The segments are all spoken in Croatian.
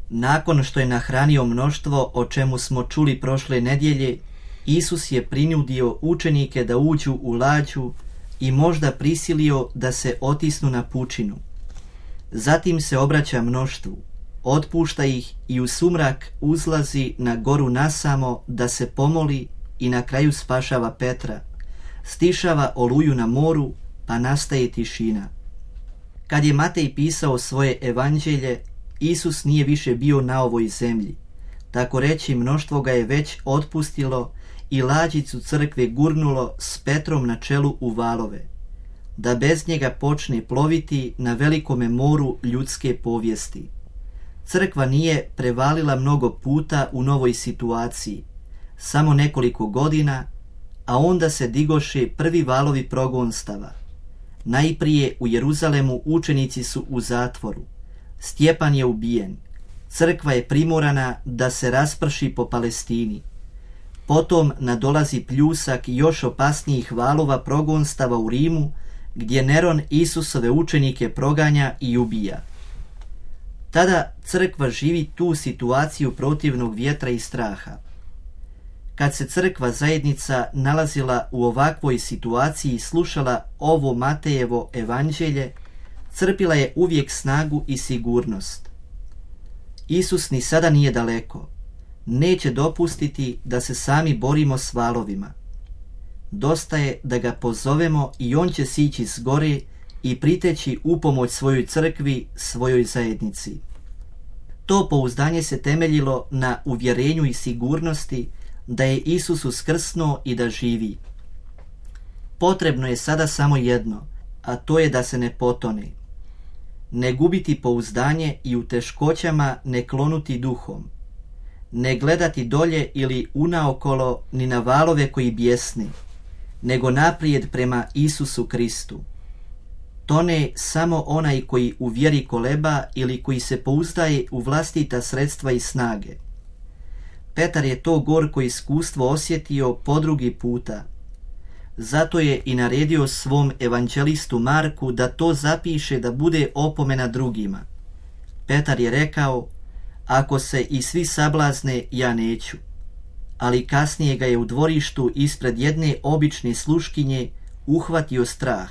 Nakon što je nahranio mnoštvo, o čemu smo čuli prošle nedjelje, Isus je prinudio učenike da uđu u lađu i možda prisilio da se otisnu na pučinu. Zatim se obraća mnoštvu, otpušta ih i u sumrak uzlazi na goru nasamo da se pomoli i na kraju spašava Petra. Stišava oluju na moru, pa nastaje tišina. Kad je Matej pisao svoje evanđelje, Isus nije više bio na ovoj zemlji. Tako reći, mnoštvo ga je već otpustilo i lađicu crkve gurnulo s Petrom na čelu u valove, da bez njega počne ploviti na velikome moru ljudske povijesti. Crkva nije prevalila mnogo puta u novoj situaciji, samo nekoliko godina, a onda se digoše prvi valovi progonstava. Najprije u Jeruzalemu učenici su u zatvoru, Stjepan je ubijen, crkva je primorana da se rasprši po Palestini. Potom nadolazi pljusak još opasnijih valova progonstava u Rimu, gdje Neron Isusove učenike proganja i ubija. Tada crkva živi tu situaciju protivnog vjetra i straha. Kad se crkva zajednica nalazila u ovakvoj situaciji i slušala ovo Matejevo evanđelje, crpila je uvijek snagu i sigurnost. Isus ni sada nije daleko. Neće dopustiti da se sami borimo s valovima. Dosta je da ga pozovemo i on će sići s gore i priteći upomoć svojoj crkvi, svojoj zajednici. To pouzdanje se temeljilo na uvjerenju i sigurnosti da je Isus uskrsnuo i da živi. Potrebno je sada samo jedno, a to je da se ne potone. Ne gubiti pouzdanje i u teškoćama ne klonuti duhom. Ne gledati dolje ili unaokolo ni na valove koji bjesni, nego naprijed prema Isusu Kristu. Tone samo onaj koji u vjeri koleba ili koji se pouzdaje u vlastita sredstva i snage. Petar je to gorko iskustvo osjetio po drugi puta. Zato je i naredio svom evanđelistu Marku da to zapiše da bude opomena drugima. Petar je rekao: ako se i svi sablazne, ja neću. Ali kasnije ga je u dvorištu ispred jedne obične sluškinje uhvatio strah,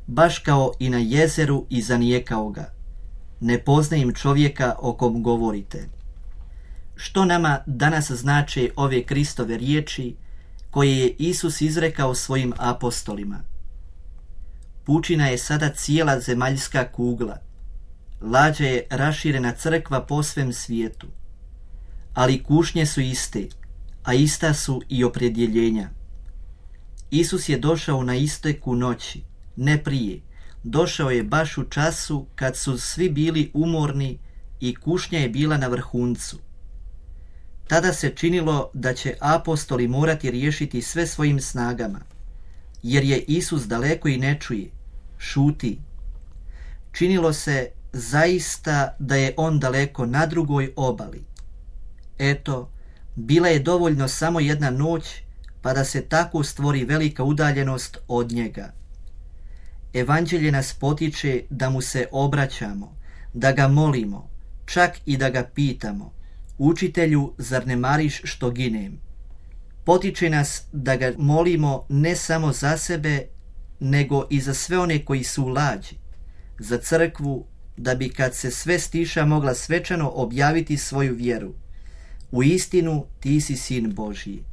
baš kao i na jezeru, i zanijekao ga: ne poznajem čovjeka o kom govorite. Što nama danas znače ove Kristove riječi koje je Isus izrekao svojim apostolima? Pučina je sada cijela zemaljska kugla. Lađa je raširena crkva po svem svijetu. Ali kušnje su iste, a ista su i opredjeljenja. Isus je došao na isteku noći, ne prije. Došao je baš u času kad su svi bili umorni i kušnja je bila na vrhuncu. Tada se činilo da će apostoli morati riješiti sve svojim snagama, jer je Isus daleko i ne čuje, šuti. Činilo se zaista da je on daleko na drugoj obali. Eto, bila je dovoljno samo jedna noć, pa da se tako stvori velika udaljenost od njega. Evanđelje nas potiče da mu se obraćamo, da ga molimo, čak i da ga pitamo: učitelju, zar ne mariš što ginem? Potiče nas da ga molimo ne samo za sebe, nego i za sve one koji su u lađi, za crkvu, da bi kad se sve stiša mogla svečano objaviti svoju vjeru: u istinu ti si sin Božji.